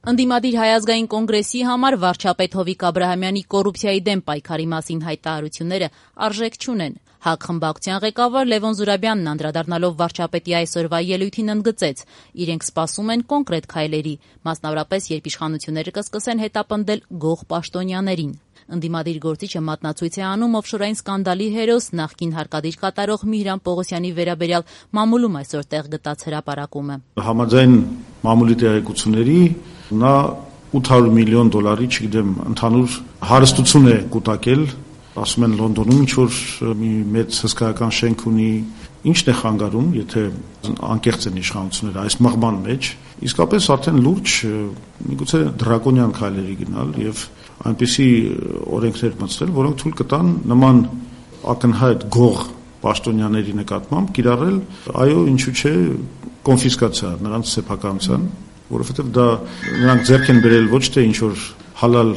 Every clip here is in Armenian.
Ընդդիմադիր Հայազգային կոնգրեսի համար վարչապետ Հովիկ Աբրահամյանի կոռուպցիայի դեմ պայքարի մասին հայտարարությունները արժեք չունեն։ ՀԱԿ խմբակցության ղեկավար Լևոն Զուրաբյանն անդրադառնալով վարչապետի այսօրվա ելույթին ընդգծեց. իրենք սպասում են կոնկրետ քայլերի, մասնավորապես երբ իշխանությունները կսկսեն հետապնդել գող պաշտոնյաներին։ Ընդդիմադիր գործիչը մատնացույց է անում օֆշորային սկանդալի հերոս նախկին հարկադիր կատարող Միհրան Պողոսյանի վերաբերյալ մամուլում այսօր տեղ գտած հրապարակումը։ Համաձայն մամուլի տեղեկությունների նա $800 միլիոն, չգիտեմ, ընդհանուր հարստություն է կուտակել, ասում են Լոնդոնում ինչ-որ մի մեծ հսկայական շենք ունի, ինչն է խանգարում, եթե անկեղծ են իշխանությունները այս մղման մեջ, իսկապես արդեն լուրջ, միգուցե դրակոնյան քայլերի գնալ եւ այնպիսի օրենքներ մտցնել, որոնք թույլ կտան նման ակնհայտ գող պաշտոնյաների նկատմամբ կիրառել, այո, ինչու՞ չէ, կոնֆիսկացիա նրանց սեփականության, որովհետև դա նրանք ձեռք են բերել ոչ թե ինչ-որ հալալ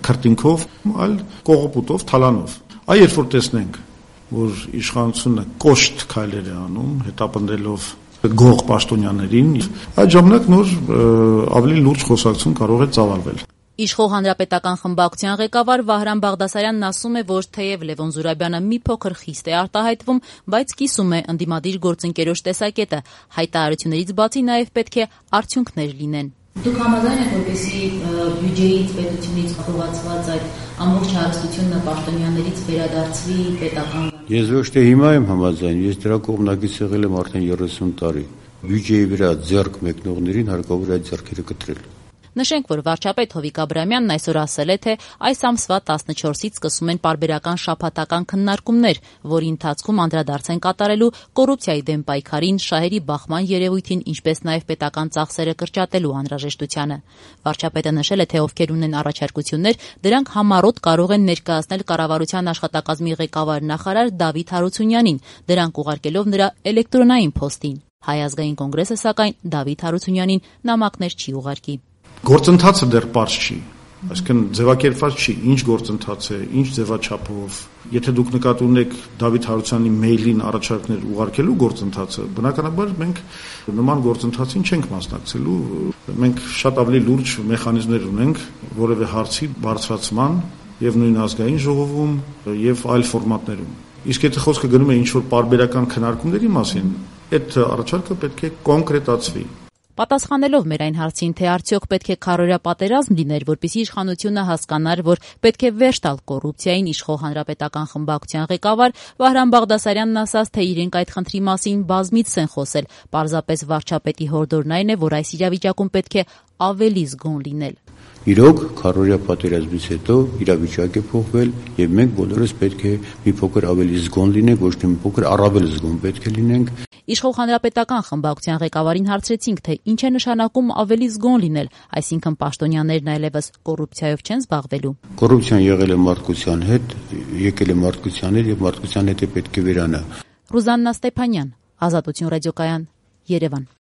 քրտինքով, այլ կողոպուտով, թալանով։ Այ երբ որ տեսնենք, որ իշխանությունը կոշտ քայլեր է անում, հետապնդելով գող պաշտոնյաներին, այդ ժամանակ նոր ավելի լուրջ խոսակցություն կարող է ծավալվել։ Իշխող հանրապետական խմբակցության ղեկավար Վահրամ Բաղդասարյանն ասում է, որ թեև Լևոն Զուրաբյանը մի փոքր խիստ է արտահայտվում, բայց կիսում է ընդդիմադիր գործընկերոջ տեսակետը։ Հայտարարություններից բացի նաև պետք է արդյունքներ լինեն։ Դուք համաձայն եք, որպեսզի բյուջեից, պետությունից խողացված այդ ամբողջ հարստությունը պաշտոնյաներից վերադարձվի պետական։ Ես ոչ թե հիմա եմ համաձայն, ես դրա կողմնակից եղել եմ արդեն 30 տարի։ Բյուջեի վրա ձեռք մեկնողներին հարկավոր է այդ ձեռքերը կտրել։ Նշենք, որ վարչապետ Հովիկ Աբրահամյանն այսօր ասել է, թե այս ամսվա 14-ից սկսում են պարբերական շաբաթական քննարկումներ, որի ընթացքում անդրադարձ են կատարելու կոռուպցիայի դեմ պայքարին, շահերի բախման երևույթին, ինչպես նաև պետական ծախսերը կրճատելու անհրաժեշտությանը։ Վարչապետը նշել է, թե ովքեր ունեն առաջարկություններ, դրանք համառոտ կարող են ներկայացնել կառավարության աշխատակազմի ղեկավար նախարար Դավիթ Հարությունյանին, դրանք ուղարկելով նրա էլեկտրոնային փոստին։ Հայ ազգային կոնգրեսը, սակայն, Դավիթ Հարությունյանին նամակներ չի ուղարկի։ Գործընթացը դեռ պարզ չի, այսինքն ձևակերպված չի, ինչ գործընթաց է, ինչ ձևաչափով։ Եթե դուք նկատի ունեք Դավիթ Հարությունյանի մեյլին առաջարկներ ուղարկելու գործընթացը, բնականաբար մենք նման գործընթացին չենք մասնակցելու։ Մենք շատ ավելի լուրջ մեխանիզմներ ունենք որևէ հարցի բարձրացման եւ նույն ազգային ժողովում եւ այլ ֆորմատներում։ Իսկ եթե խոսքը գնում է ինչ-որ պարբերական քննարկումների մասին, այդ առաջարկը պետք է կոնկրետացվի։ Պատասխանելով մեր այն հարցին, թե արդյոք պետք է քարոզիա պատերազմ լիներ, որպեսզի իշխանությունը հասկանար, որ պետք է վերջ տալ կոռուպցիային, իշխող հանրապետական խմբակցության ղեկավար Վահրամ Բաղդասարյանն ասաց, թե իրենք այդ խնդրի մասին բազմիցս են խոսել, պարզապես վարչապետի հորդորն այն է, որ այս իրավիճակում պետք է ավելի զգոն լինել։ Իրոք, քարոզիա պատերազմից հետո իրավիճակ է փոխվել եւ մենք բոլորս պետք է մի փոքր ավելի զգոն լինենք, ոչ թե մի փոքր առավել զգոն պետք է լինենք։ Իշխող հանրապետական խմբակցության ղեկավարին հարցրեցինք, թե ինչ է նշանակում ավելի զգոն լինել, այսինքն պաշտոնյաներն այլևս կոռուպցիայով չեն զբաղվելու։ Կոռուպցիան եղել է մարդկության հետ, եկել է մարդկության հետ եւ մարդկության հետ է պետք է վերանա։ Ռուզաննա Ստեփանյան, Ազատություն ռադիոկայան, Երևան։